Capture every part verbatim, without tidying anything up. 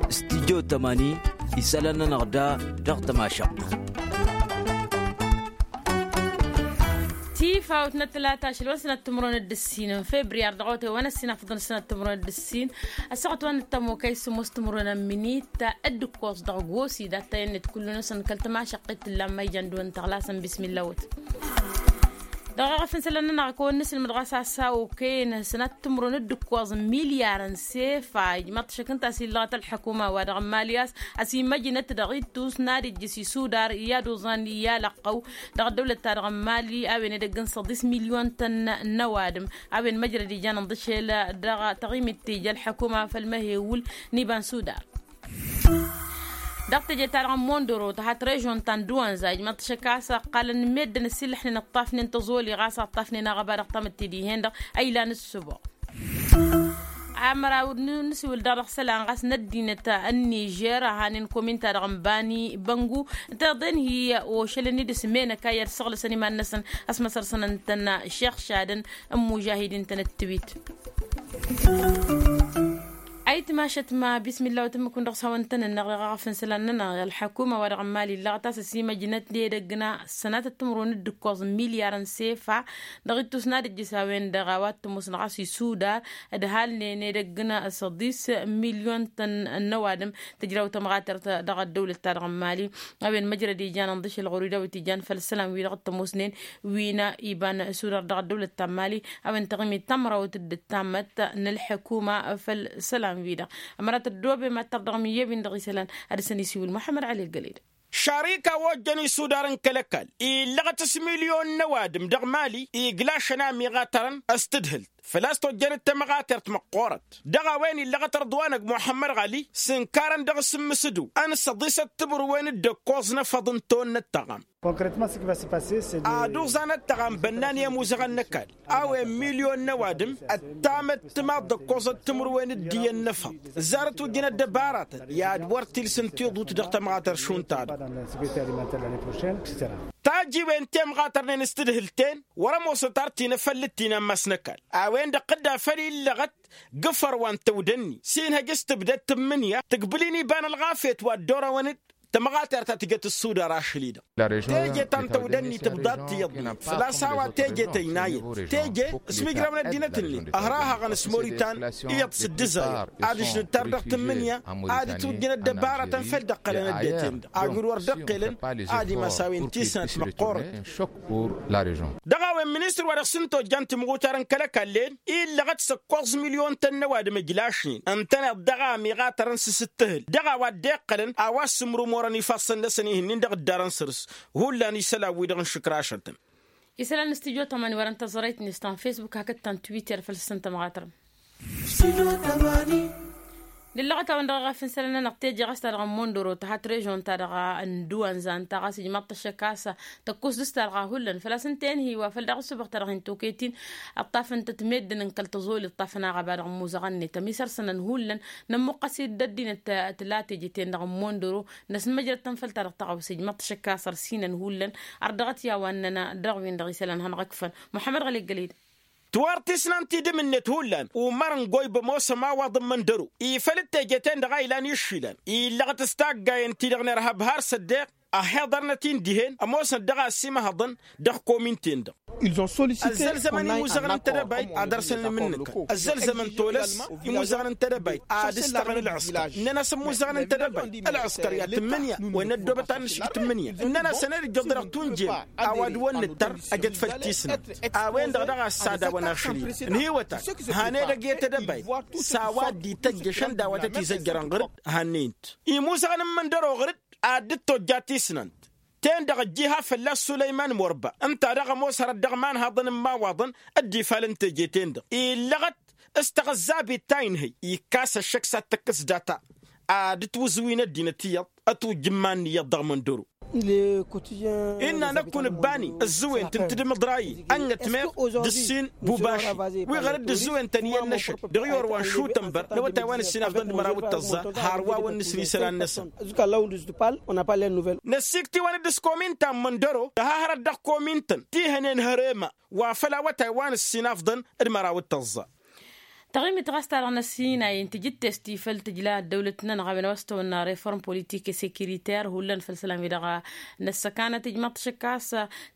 Studyo tămani isălan-nănăɣ da dăɣ-tămašăɣt. Tifawt n-ătlata ašăl wa n-sănat timǝrwen d-ǝssin n-febriyar dăɣ-awătay wa n-ăssin afḍăn sănat timǝrwen d-ǝssin. Ăssaɣăt wa n-ăttămokăy s-ămoos timǝrwen n-minit d-ǝkkoẓ dăɣ-gosi d-attăyăn-net kullu-năsăn kăl-tămašăqqit tǝllan ma ijan d-wăn tăɣlasăn bismillawăt. Dăɣ-eɣăf n-isălan-nănăɣ kăwăn-nǝsǝlmǝd ɣas a-s a okăyăn sănat timǝrwen d-ǝkkoẓ n-milyar n-sefa ijmaḍ-t ašăk ǝnta a-s illăɣăt ălḥăkuma wa dăɣ-n mali a-s a-s imăjnăt dăɣ-ittus n-ad-ijjǝs isudar i-ad-oẓan i-alăqqăw dăɣ-ăddăwlăt-ta-dăɣ n-mali a-wen edăgg n-săḍis milyon-tăn n-ăwadǝm a-wen măjrăd ijanăn d-ašel dăɣ-taɣimit tija ălḥăkuma făll-măhewǝl n-iba n-sudar. Dăɣ-teje-ta-dăɣ n-mondoro tăhat režon ta n-dăwanza ijmăḍ-t ašăk a-s ăqqalăn meddǝn ăsillăḥnen ǝṭṭafnen tăẓoli ɣas ăṭṭafnen aɣăba dăɣ-tamǝtte dihen-dăɣ a ilan ǝssǝboɣ. Amăraw n-nǝsiwǝl daɣ dăɣ-isălan ɣas n-ăddinăt n-nižer a hanen komin-ta-dăɣ n-bani băngu ǝnta iḍen hi-ošălăn-i d-asǝmenăk a i-ad-săɣlăsăn iman-năsăn ăsmăsăr-săn ǝntăn išăɣšadăn n-imužahidin-tăn d-tiwit. Ayǝtmašăt ma bismillah wa tǝmmǝk-wǝn dăɣ-s hawăn-tăn-ănnăɣ dăɣ-eɣăf n-isălan-nănăɣ ălḥăkuma wa dăɣ-n mali illăɣăt a-s ăsimăjnăt n-edăgg n-sănatăt timǝrwen d-ǝkkoẓ n-milyar n-sefa dăɣ-ittus n-ad-ǝjjǝs a-wen-dăɣ a-wa t-ămoosnăɣ a-s isudar d-halnen edăgg n-săḍis milyon-tăn n-ăwadǝm. Tǝjraw tămɣatert dăɣ-ăddăwlăt-ta-dăɣ n-mali a-wen măjrăd ijanăn d-ašăl ɣur-i dawit ijan făll-isălan-wi-dăɣ t-ămoosnen wi n-iba n-sudar dăɣ-ăddăwlăt ta n-mali a-wen taɣimit tamrawt d-ǝttammăt n-ălḥăkuma făll-isălan-wi-dăɣ. Ămărat ăddoobe mad-tărdăɣ mǝyyăwin dăɣ-isălan ad-dăr-săn isiwǝl muḥămmăd ăli ăggăled. Šarika wa ojjăn isudar n-kăl-ăkall illăɣăt s-milyon n-ăwadǝm dăɣ-mali iglašăn a ămiɣatărăn s-tǝdhǝlt făl-a-s tojjăn d-tamɣatert măqqoorăt dăɣ-a-wen illăɣăt ărḍwanăg muḥămmăd ɣali s-ǝnkarăn dăɣ-s ǝmmǝsǝdu n-săḍisăt timǝrwen d-ǝkkoẓ n-efăḍ n-tonnăt taɣam. Ad-uẓanăt taɣam bănnan i-ămuzăɣăn n-ăkall a-wen milyon n-ăwadǝm ăttamăt timaḍ d-ǝkkoẓăt timǝrwen d-iyyăn n-efăḍ. Ǝzzarăt ujjǝn ăddăbaratăn i-ad-wăr tilsǝn tiḍut dăɣ-tămɣatăr šund ta-dăɣ. Tajiwen temɣatărnen s-tǝdhǝlt-en wăr-ămoosăt ar tinăfăllǝt tinammas n-ăkall a-wen-dăɣ tǝdda făll-illăɣăt g-ifăr wa n-tăwdănni s-inhăj s-tǝbdăd tǝmmǝnǝya tǝgbǝl-in iba n-ălɣafyăt wa dd-orăwăn-dd tămɣatert ta tǝjăt ǝssudar ašăl-i-dăɣ. Teje ta n-tăwdănni tǝbḍa d-tiyyăḍ-net făl-a-s a-wa teje tăynayăt teje s-mijrăwăn ăddinăt-net ăhrahăɣăn s-moritan iyyăḍ s-dd-ǝzayăr ad-ǝžnǝd tar dăɣ-tǝmmǝnǝya ad-itwǝjjǝn ăddăbaratăn făll-dd-ǝqqălăn ăddinăt-en-dăɣ agǝr wăr dd-ǝqqelăn ad-imas a-wen tisnant măqqoorăt. Dăɣ-a-wen ministăr wa dăɣ-s n-tojjant timɣutar n-kăl-ăkall-en illăɣăt s-ǝkkoẓ milyon-tăn n-ăwadǝm ǝjlašnen ǝntăneḍ dăɣ-a ămiɣatărăn s-sǝttǝhǝl dăɣ-a-wa dd-iqqălăn a-wa s-sǝmrumorăn ifassăn-năsăn ihǝnnin dăɣ-ǝddarăn săr-s. Hullan isălan-wi-dăɣ n-išǝkrašătăn. Isălan n-studyo tămani wăren tăẓrăyt-net ta n-fesbuk hakd ta n-twitter făll-săn tămɣatărăn. Nǝllăɣăt-awăn dăɣ-eɣăf n-isălan-nănăɣ teje ɣas ta dăɣ-n mondoro tăhat režon ta dăɣ-n duwănza ǝnta ɣas ijmaḍ-t ăššăk a-s tăkkus dăr-s ta dăɣ-a hullan făl-a-s ǝnta enhǝy wa făl daɣ ǝssǝbăɣ ta dăɣ-hin-tokăyăt-in. Ǝṭṭafăn-tăt meddǝn n-kăl-tăẓoli ǝṭṭafăn aɣăba dăɣ-imuzăɣăn-net ămisărsănăn hullan nămmuqqăs-dd ăddinăt tǝla teje-ten-dăɣ n-mondoro. Năsmăjrăd-tăn făll-ta-dăɣ tăɣawse ijmăḍ-t ašăk a-s ărsinăn hullan. Ărdăɣăt i-a-wa ǝnnăn dăɣ-win-dăɣ isălan hanăɣ-ǝkfăn muḥămmăd ɣăli ăggăled. Tiwar tisnant idǝm-net hullan umăr n-goyb ămoos ămawaḍ n-imǝndăro ifăl d-teje-ten-dăɣ a ilan išilan illăɣăt s-taggayen-ti-dăɣ n-irhăb har s-ăddeɣ. Ăhhiḍărnăt-in dihen ămoosnăt dăɣ-a ăsimăhăḍăn dăɣ-komin-ten-dăɣ. Ăzzălzămăn imuzăɣăn n-tedăbayt ad-ărsăn inmǝnnǝkăn ăzzălzămăn tolăs imuzăɣăn n-tedăbayt ad-ǝstăɣăn ǝlɣǝskăr ǝnnăn-as ămmuzăɣăn n-tedăbayt ălɣǝskăr i-ad-tǝmmǝnǝya wa n-ăddoobăt ad-nǝšǝj tǝmmǝnǝya ǝnnăn-as ăned ǝjjăḍ dăɣ-tunjel. A-wa d-wăn-nǝttăr ăjăt făll-tisnant a-wen-dăɣ dăɣ-a ăssadawăn ašăl-i-dăɣ ǝnhǝywăt-ak. Han edăgg i-tedăbayt s-a-wa dd-ităjj ăšăndawătăt izăjjărăn ɣăr-dd. Hannăyăn-t imuzăɣăn n-imǝndăro ɣăr-dd ad-dd-tojja tisnant ten-dăɣ ăjjiha fălla-s sulăyman morba ǝnta daɣ ămoos hărăt dăɣ-imanhaḍăn n-imawaḍăn. Dd-ifal n-teje-ten-dăɣ illăɣăt s-taɣǝzzabit ta inhăy ikkas ăššăk s-ad-tăkkǝs data ad-ǝtwǝzǝwin ăddinăt iyyăḍ ătwǝjj iman n-iyyăḍ dăɣ-măndăro. Innă năkk unǝbba-nin ǝzzǝwen-t n-tǝdǝm iḍra-i ănnătmeɣ d-ǝssin bubaši wi ɣăr dd-ǝzzǝwen-tăn iyyăn n-ašăl dăɣ-i orwa n-šutănbăr n-awătay wa n-ǝssin afḍăn d-măraw d-tăẓẓa. Har wa wăn-nǝsli isălan-năsăn năsiktiwăn-dd s-komin ta n-măndăro tăha hărăt dăɣ-komin-tăn ti hănen hărema wa făl awătay wa n-ǝssin afḍăn d-măraw d-tăẓẓa. Taɣimit ɣas ta-dăɣ n-ăssinay n-tijǝttest-i făll-tǝjla ăddăwlăt-nănăɣ a-wen a-wa s-tawănna reform politik sekiritar hullan făll-isălan-wi-dăɣ n-ăssăkanăt ijmaḍ-t ašăk a-s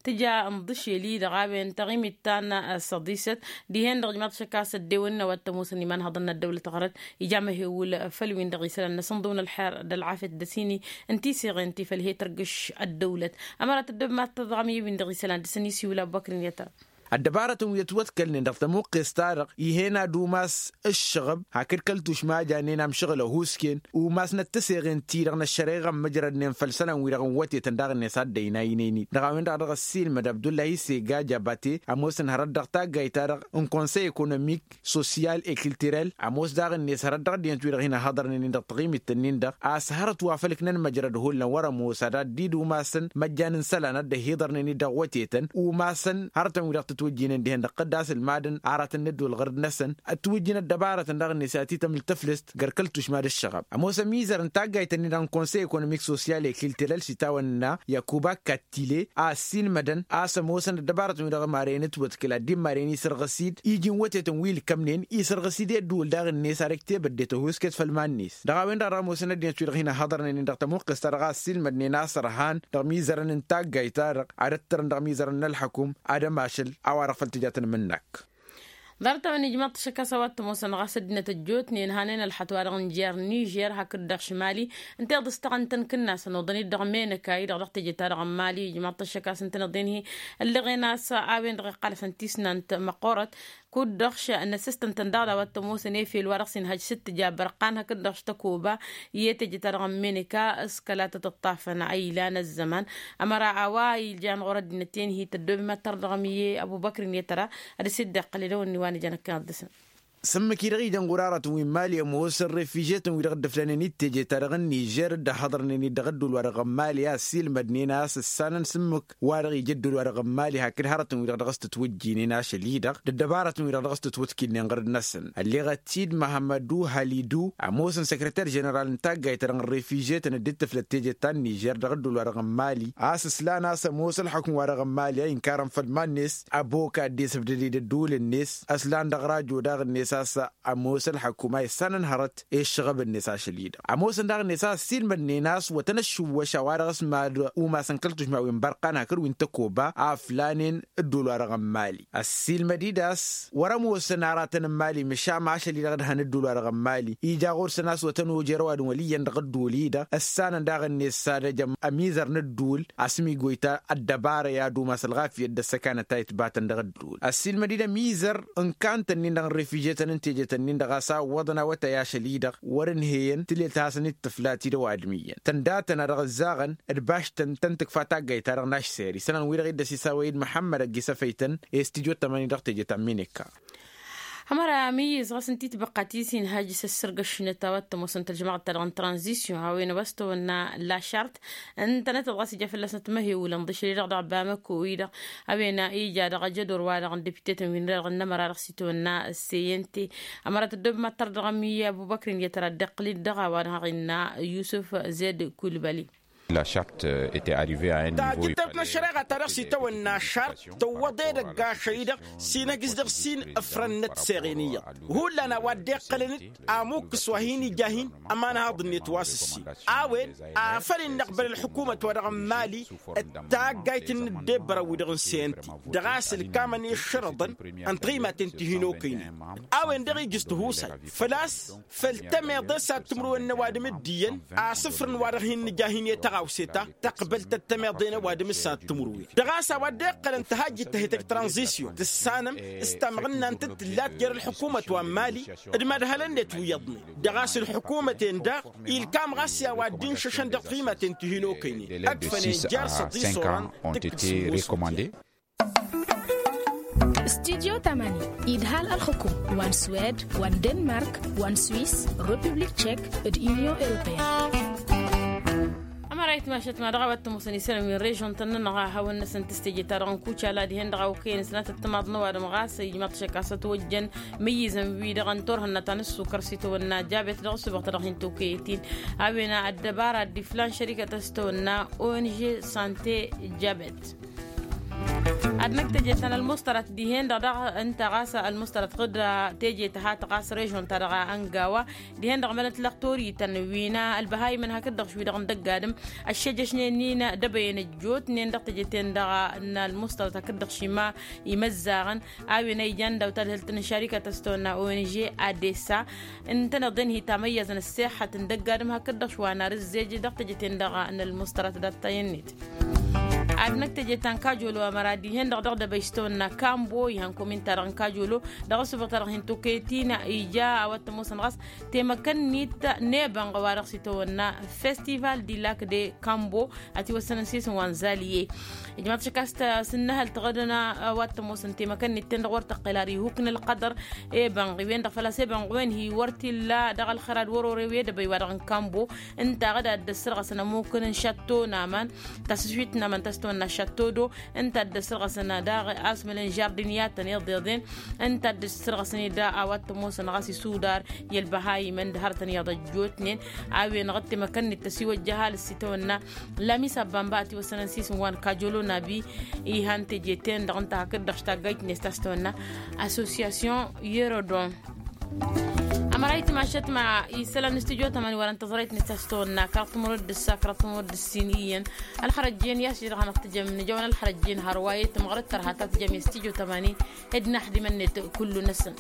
tǝja n-iḍǝšel-i-dăɣ a-wen taɣimit ta n-săḍisăt dihen-dăɣ ijmaḍ-t ašăk a-s ăddewănnen a-wa t-ămoosăn imanhăḍăn n-ăddăwlăt ɣărăt ija măhewǝl făll-win-dăɣ isălan n-asǝnḍǝw n-ălxer d-ălɣafyăt d-ăsini n-tiseɣen ti făll-he-tărgǝš ăddăwlăt. Ămăra tăddobmat tăḍɣăm i-win-dăɣ isălan dăr-săn isiwǝl abubăkr n-yetăr. Ăddăbarătăn wi ătwătkălnen dăɣ-tamuqqest-ta-dăɣ ih'-en ad-umas ǝššăɣăb hakd kăl-tušma a jannen amšăɣǝl ăhuusken umasnăt tăseɣen-ti-dăɣ n-ăššăreɣa n-măjrădnen făll-isălan-wi-dăɣ n-wătetăn daɣ-net a dd-ăynaynen-dd dăɣ-a-wen-dăɣ a dăɣ-ăssiilmăd abdullahi sega jabate ămoosăn hărăt dăɣ-taggayt-ta-dăɣ n-konsăy ekonomik sosyal e kiltirel ămoos daɣ-net hărăt dăɣ-ăddinăt-wi-dăɣ hin-ăhhăḍărnen-in dăɣ-taɣimit-ǝnnin-dăɣ a-s hărăt wa făl ǝknăn măjrăd hullan wăr-ămoos ad-ad-dd-umasăn măjjan n-isălan a dd-ăhhiḍărnen-dd dăɣ-wătetăn umasăn hărătăn-wi-dăɣ tǝtwǝjjinen dihen dăɣ-tăddas ǝlmadăn aratăn n-ădduul ɣǝrǝd-năsăn ătwǝjjin ăddăbarătăn daɣ-net a titămǝl tăflǝst găr kăl-tušma d-ǝššăɣăb. Ămoosăn imizăr n-taggayt-ǝnnin-dăɣ n-konsăy ekonomik sosyal e kiltirel s-itawănna yakuba kattile a ăssiilmădăn a-s ămoosăn ăddăbarătăn-wi-dăɣ maren ǝtwătkǝl ad-dd-immaren isărɣǝs-dd iji n-wătetăn wi ǝlkămnen isărɣǝs-dd i-ădduul daɣ-net ar ǝktebăddet ăhuusket făll-iman-net dăɣ-a-wen-dăɣ a dăɣ-ămoosăn ăddinăt-wi-dăɣ hin-ăhhăḍărnen-in dăɣ-tămuqqest-ta-dăɣ a ăssiilmădnen a-s ărhan dăɣ-imizărăn n-taggayt-ta-dăɣ ad-ăttărăn dăɣ-imizărăn n-ălḥăkum ad-ămašăl a-wa-dăɣ făl tǝja tăn-imǝnnak. Ḍarăt-a-wen ijmaḍ-t ašăk a-s a-wa t-ămoosăn ɣas ăddinăt ăjjootnen hanen ălxăt-wa-dăɣ n-jer nižer hakd-dăɣ šimali ǝnta iḍǝstăɣăn-tăn kǝnnasăn oḍăn-dd dăɣ-menăkay dăɣ-teje-ta-dăɣ n-mali ijmaḍ-t ašăk a-s ǝntăneḍ-in-hi ăllăɣen a-s a-wen-dăɣ iqqalăsăn tisnant măqqoorăt kud-dăɣ š-năsǝstăn-tăn daɣ d-a-wa t-ămoosăn efel wa dăɣ-s inhăj s-ǝttǝja bărqan hakd-dăɣ š-tăkoba i-teje-ta-dăɣ n-menăka s-kăla tăt-ǝṭṭafăn a ilan ăzzăman. Ămăra a-wa iljan ɣur-ăddinăt-en-hi tăddoobem ad-tărdăɣăm i-ăbubăkr n-etăra ad-dăr-s dd-iqqăl edăwănni wa n-ijăn ăkkeḍ dăr-săn. Sǝmmǝk-i-dăɣ ijăn ɣur-aratăn wi n-mali ămoosăn refižetăn-wi-dăɣ dd-ǝflanen i-teje-ta-dăɣ n-nižer dd-ăhhăḍărnen-dd dăɣ-ădduul-wa-dăɣ n-mali a ăssiilmădnen a-s ǝssanăn sǝmmǝk wa dăɣ-ija ădduul wa dăɣ-n mali hakd hărătăn-wi-dăɣ dăɣ-s tǝtwǝjjinen ašăl-i-dăɣ d-ăddăbarătăn-wi-dăɣ dăɣ-s tǝtwǝtkǝlnen ɣărăt-năsăn. Ălleɣăt-dd măhămmădu halidu ămoosăn săkrăter ženeral n-taggayt-ta-dăɣ n-refižetăn dd-tǝflăt teje ta n-nižer dăɣ-ădduul-wa-dăɣ n-mali a-s ǝslan a-s ămoos ălxukǝm-wa-dăɣ n-mali a inkarăn făll-iman-net. Ăbokad d-esǝbdăd-dd ădduul-net ăslan dăɣ-rajo daɣ-net a-s ămoos ălxăkum a issanăn hărăt i-ǝššăɣăb-net ašăl-i-dăɣ ămoosăn daɣ-net a ăssiilmădnen a-s wătăn ăššǝwwăš a-wa dăɣ-s mad-umasăn kăl-tušma wi n-bărqan hakd wi n-tăkoba a ǝflanen ǝddul-wa-dăɣ n-mali. Ăssiilmăd-dd a-s wăr-ămoosăn aratăn n-mali măšan ašăl-i-dăɣ d-hăn ǝddul-wa-dăɣ n-mali ija ɣur-săn a-s wătăn ojer ăwadǝm wăl' iyyăn dăɣ-ǝddul-i-dăɣ ǝssanăn daɣ-net s-ad-ăj ămizăr n-ǝddul asǝm-igoyta ăddăbara i-ad-umas ălɣafyăt d-ăssăkanăt a itbatăn dăɣ-ǝddul. Ăssiilmăd-dd ămizăr n-kantăn-in-dăɣ n-refižetăn n-tejetăn-in-dăɣ a-s a ǝwwăḍăn awătay ašăl-i-dăɣ wăr-ǝnheyăn tǝlelt a hasăn-dd-tǝfla ti d-ăwadǝm iyyăn tǝndatăn a dăɣ-ǝzzaɣăn d-baštăn tăn-tǝkfa taggayt-ta-dăɣ n-ašser isălan-wi-dăɣ i dd-ăsisawăy-dd măḥămmăd ăgg-isăfăy-tăn i-studyo tămani dăɣ-teje ta n-mineka. Ămăra amǝyyǝz ɣas ǝnta itbăqqa ti s-inhajj s-ăssărgăšnet a-wa t-ămoosăn tălžămaɣăt-ta-dăɣ n-tranzisyon a-wen a-wa s-tawănna lašart ǝntănătăt ɣas ija fălla-snăt măhewǝlăn d-ašăl-i-dăɣ dăɣ-bamăko-i-dăɣ a-wen ija dăɣ-ajădor-wa-dăɣ n-depite-tăn wi n-dăɣ n-ămăra dăɣ-s itawănna seyente. Ămăra tăddoobem ad-tărdăɣăm i-ăbubăkri n-iyyăt ara dd-iqqǝl-dd dăɣ-a-wa-dăɣ ăɣinna yusǝf zed kulbăli. Tajǝttăt n-ăššăreɣa ta dăɣ-s itawănna šart tǝwwăḍ edăgg ašăl-i-dăɣ s-inhăjj s-dăɣ-s-in ǝfrăn n-ătseɣen iyyăḍ hullan a-wa dd-iqqălăn-dd amukkǝs wa hin-ija hin-ămanhaḍ-net wa s-ǝssin. A-wen afăl innăɣbăl ălḥukumăt-wa-dăɣ n-mali d-taggayt n-ǝddebbărăn-wi-dăɣ n-seyănti dăɣ-a-s ǝlkamăn i-ǝššărăḍăn n-tiɣimaten ti hin-okăynen. A-wen dăɣ-ijǝs tihusay făl-a-s făll-tămeḍe s-ad-tǝmrǝwen n-ăwadǝm d-iyyăn asǝfrǝn wa dăɣ-hin-nǝja hin-e-tăɣawse ta tăqbăl tăt-tămeḍe n-ăwadǝm s-ad-tǝmrǝwen dăɣ-a-s a-wa dd-iqqălăn tăhajjit ta he-tăj tranzisyon tǝssanăm s-tamɣǝnna n-tǝttǝllat jer-ălḥukumăt wa n-mali d-imădhălăn-net wi iyyăḍnen. Dăɣ-a-s ǝlḥukumăt-en daɣ ilkam ɣas i-a-wa dd-inšăšăn dăɣ-timaten ti hin-okăynen ăkfănen jer-săḍi s-oran tǝkkǝd s-ǝmmos. Studyo tamani idhal ălxukum wa n-swed wa n-denmark wa n-swis, republik tšek d-unyon europeyăn. Ămăra itmašăt ma dăɣ-a-wa t-ămoosăn isălan wi n-režon-tăn-nănăɣ a hawăn-năsăn tǝsteje-ta-dăɣ n-kucala dihen-dăɣ a okăyăn s-nătăt timaḍ n-ăwadǝm ɣas ijmăḍ-t šăkasăt wăjjăn mǝyyǝzăn-wi-dăɣ n-turhǝnna ta n-ǝssukăr s-itawănna jabet dăɣ-ăssubaɣ-ta-dăɣ hin-tokăyăt-in. A-wen ăddăbara dd-iflan šărikăt a-s tawănna ong sante jabet. Ad-năkk teje ta n-ălmuṣtărat dihen-dăɣ daɣ ǝnta ɣas ălmuṣtărat ɣǝd teje tăhat ɣas režon-ta-dăɣ ăngawa dihen-dăɣ mănăt lăɣ torităn wi n-ălbăhayimăn hakd-dăɣ šwi-dăɣ n-dăgg-adǝm ăššejăšnen-in dăbăyăn ăjjootnen dăɣ-teje-ten-dăɣ n-ălmuṣtărat hakd-dăɣ šima imăzzaɣăn a-wen a ijan daw-tadhǝlt n-ašarikat a-s tawănna ong adesa ǝntăneḍ-en hi-tamăyyazăn ăssexăt n-dăgg-adǝm hakd-dăɣ šwa n-arǝzzej dăɣ-teje-ten-dăɣ n-ălmuṣtărat dat-tayănnet. Ad-năkk teje ta n-kajolo ămăra dihen-dăɣ dăɣ-dăbăy s-tawănna kambo ihăn komin-ta-dăɣ n-kajolo dăɣ-ăssubuɣ-ta-dăɣ hin-tokăyăt-in ija a-wa t-ămoosăn ɣas temăkăn-nit n-ebănɣ wa dăɣ-s itawănna festival di lak de kambo ătiwăssănăn s-isǝm wa n-zaliye. Ijmaḍ šăkk a-s t-sǝnnăhăl tăɣădăn a-wa t-ămoosăn temăkăn-nit-ten-dăɣ wăr tăqqel ar ihuk n-ǝlqădăr ebănɣ i-wen-dăɣ făl-a-s ebănɣ wen hi-wăr t-illa dăɣ-ălxărad wăr-ore wi edăbăy wa-dăɣ n-kambo ǝnta ɣǝd a dd-ăssărɣăsăn ămukǝn n-šatto n-aman tasǝšwit n-aman ta s-tawănna šatto do ǝnta a dd-ăssărɣăsăn daɣ asmălăn žardin i-ad-tăn-iḍeḍen ǝnta a dd-ăssărɣăsăn ed a-wa t-ămoosăn ɣas isudar i-ălbăhayimăn d-hărătăn iyyăḍ ăjjootnen a-wen-dăɣ dd-temăkăn-net tăsiwăjja ăhalǝs s-itawănna lamis abba n-ba ătiwăssănăn s-isǝm wa n-kajolo n-abi ihan teje-ten-dăɣ ǝnta hakd-dăɣ štaggajt-net ta s-tawănna assosyasyon yerodon. Ămăra itmašăt ma isălan n-studyo tămani wăren tăẓrăyt-net ta s-tawănna kăraḍ timǝrwăt d-ǝssa kăraḍ timǝrwăt d-ǝssin iyyăn ălxărăjjen i-ašăl-i-dăɣ hanăɣ-tǝjăm nǝjăwăn ălxărăjjen hărwa i-tǝmɣărăt tărha ta tǝjăm i-studyo tămani ed inaxdimăn-net kullu-năsăn.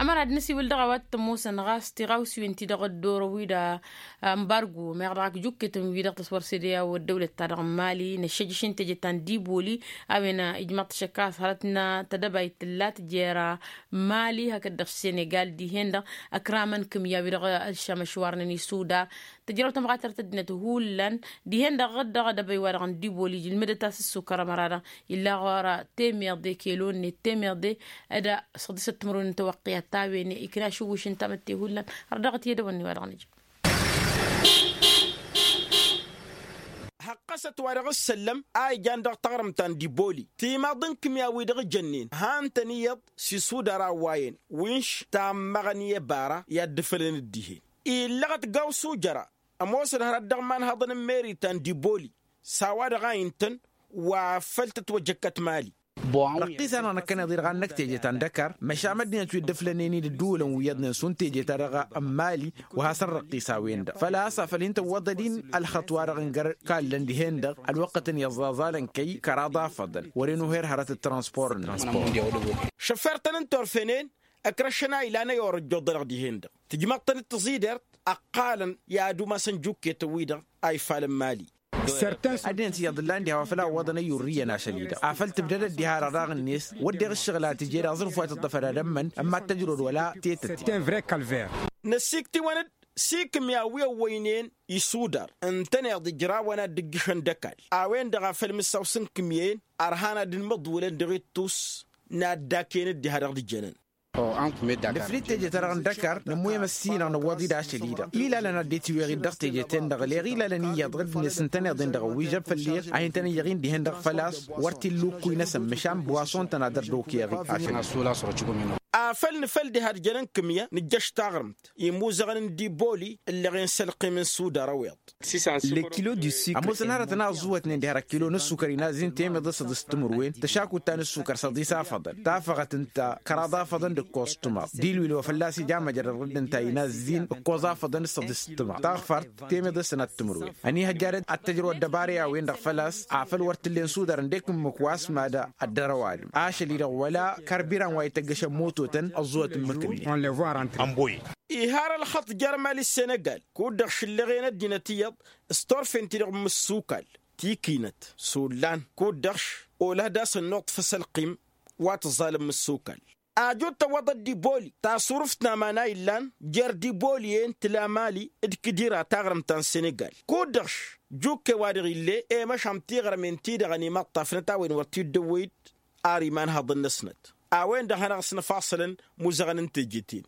Ămăra d-nǝsiwǝl dăɣ-a-wa t-ămoosăn ɣas tiɣawsiwen-ti-dăɣ ăddoorăn wi-dăɣ ămbargo meɣ dăɣ-ak jukketăn wi-dăɣ tăswăr sede a-wa ăddăwlăt-ta-dăɣ n-mali năššăjjăš n-teje ta n-diboli a-wen ijmăḍ-t šăkk a-s hărăt n-tedăbayt tǝllat jer-mali hakd-dăɣ senegal dihen-dăɣ ăkramăn kǝmya wi-dăɣ ălšămăšwarnen isudar tǝjrăw tămɣatărt ăddinăt hullan dihen-dăɣ ɣǝd-dăɣ adăbăy wa-dăɣ n-diboli ǝlmǝdăt-as ǝssukăr ămăra-dăɣ illa ɣur-a temeḍe kelo-net temeḍe d-săḍisăt timǝrwen n-tawăqqiyat ta a-wen ikna ašǝwwǝš n-tamǝtte hullan. Ărdăɣăt i-edăwănni wa dăɣ-nǝjǝm. Hăqqăsăt wa dăɣ-ǝssăllăm a ijan dăɣ-taɣrǝmt ta n-diboli timaḍ n-kǝmya wi dăɣ-ijănnen han-tăn iyyăḍ s-isudar a ăwwayăn winš tammăɣăn i-ăbara i-ad-dd-fălăn dd-ihen illăɣăt gawsu jăra ămoosăn hărăt dăɣ-imanhăḍăn n-meri ta n-diboli s-a-wa-dăɣ a intăn wa făl tătwăjăkkăt mali. Răqqis-anăɣ năkkăneḍ-i-dăɣ ad-năkk teje ta n-dăkar măšan ăddinăt wi dd-ǝflănen-i d-ǝddǝwǝlăn wi iyyăḍnen šund teje-ta-dăɣ n-mali wa hasăn-răqqis a-wen-dăɣ făl-a-s a făl hin-tăwwăḍăd-in ălxăṭṭ-wa-dăɣ n-găr-kallăn dihen-dăɣ ălwăqqătăn i-ăẓẓaẓalăn kăy-kăraḍ afăḍăn wăren uher hărăt d-transpor-năsăn. Šăffer-tăn n-turfenen ǝkrăšăn a ilan ăyorăjjoḍ-dăɣ dihen-dăɣ tǝjmăḍ-tăn d-tăẓidert ăqqalăn i-ad-umasăn jukket-wi-dăɣ a ifalăn mali. Ăddinăt iyyăḍ ǝllan diha wa făl a ǝwwăḍăn ăyyurrǝyăn ašăl-i-dăɣ afăl tǝbdăd ăddihar araɣ-net wădden ǝššăɣǝl a tǝje d-aẓrǝf wa tǝṭṭăfăd ad-ămmăn ămma t-tăjrod wăla tetăte. Năsiktiwăn-dd s-ikǝmya wi ăwwăynen isudar ǝntăneḍ ijrawăn ad-dd-ǝjjǝšăn d-ăkall a-wen-dăɣ a făl mǝssaw s-ǝnkǝmyăyăn ărhan ad-dd-măḍwǝlăn dăɣ-ittus n-ad-dd-akăyăn dd-iha dăɣ-dd-jănăn. Nǝflǝd teje-ta-dăɣ n-dăkar nǝmmuyăm ăssinăɣ nǝwwăḍ-dd ašăl-i-dăɣ ilalăn ad-dd-itiweɣ-dd dăɣ-teje-ten-dăɣ leɣ ilalăn iyyăḍ dd-net ǝntăneḍ-en dăɣ-ăwwij a făll-i a hin-tăn-iyyăɣ-in dihen-dăɣ făl-a-s wăr t-illa ukkuy-năsăn măšan bwasson-tăn ad-ărdokăyăɣ-i ašăl. Afăl nǝfăl diha d-jănăn kǝmya nǝjjăš taɣrǝmt imuzăɣăn n-diboli ǝllăɣen s-ălqim n-sudar ăweḍ. Ămoosăn hărătăn a ăẓẓuwătnen diha d-ăkkilo n-ǝssukăr inazzin temeḍe săḍis timǝrwen tăšakut ta n-ǝssukăr săḍis afăḍăn tafăɣăt ǝnta kăraḍ afăḍăn d-ǝkkoẓ tǝmaḍ d-ilwil wa fălla-s ija măjrăd ɣǝdd ǝnta inazzin ǝkkoẓ afăḍăn d-săḍis tǝmaḍ taɣfart temeḍe sănat timǝrwen ănihăjja d-ad-tăjrăw ăddăbara i-a-wen-dăɣ făl-a-s afăl wăr t-ǝllen sudar ǝndek ǝmmǝk wa s-mad-ăddărăw alǝm ašăl-i-dăɣ wăla kărbiran wa ităggăšăn mototăn ăẓẓuwăt ǝmmǝk-net. Ihar ălxăṭṭ jer-mali s-senegal kud-dăɣ šǝllăɣen ăddinăt iyyăḍ s-turfen-ti-dăɣ n-imǝssukal tikinăt s-ollan kud-dăɣ-š olăh d-asăn nuṭṭfăs ălqim wa tǝẓẓalăn imǝssukal. Aju d-tăwwăḍăt d-iboli tasurǝft n-aman a illan jer-diboli-en tǝla mali d-kǝdira taɣrǝmt ta n-senegal kud-dăɣ-š jukke wa dăɣ-ille i-măšan tiɣrămen-ti-dăɣ ănimaṭṭafnăt a-wen wăr t-dd-ăwwăy-dd ar imanhăḍăn-năsnăt a-wen-dăɣ hanăɣ-ăsnăfaṣălăn imuzăɣăn n-teje-ten.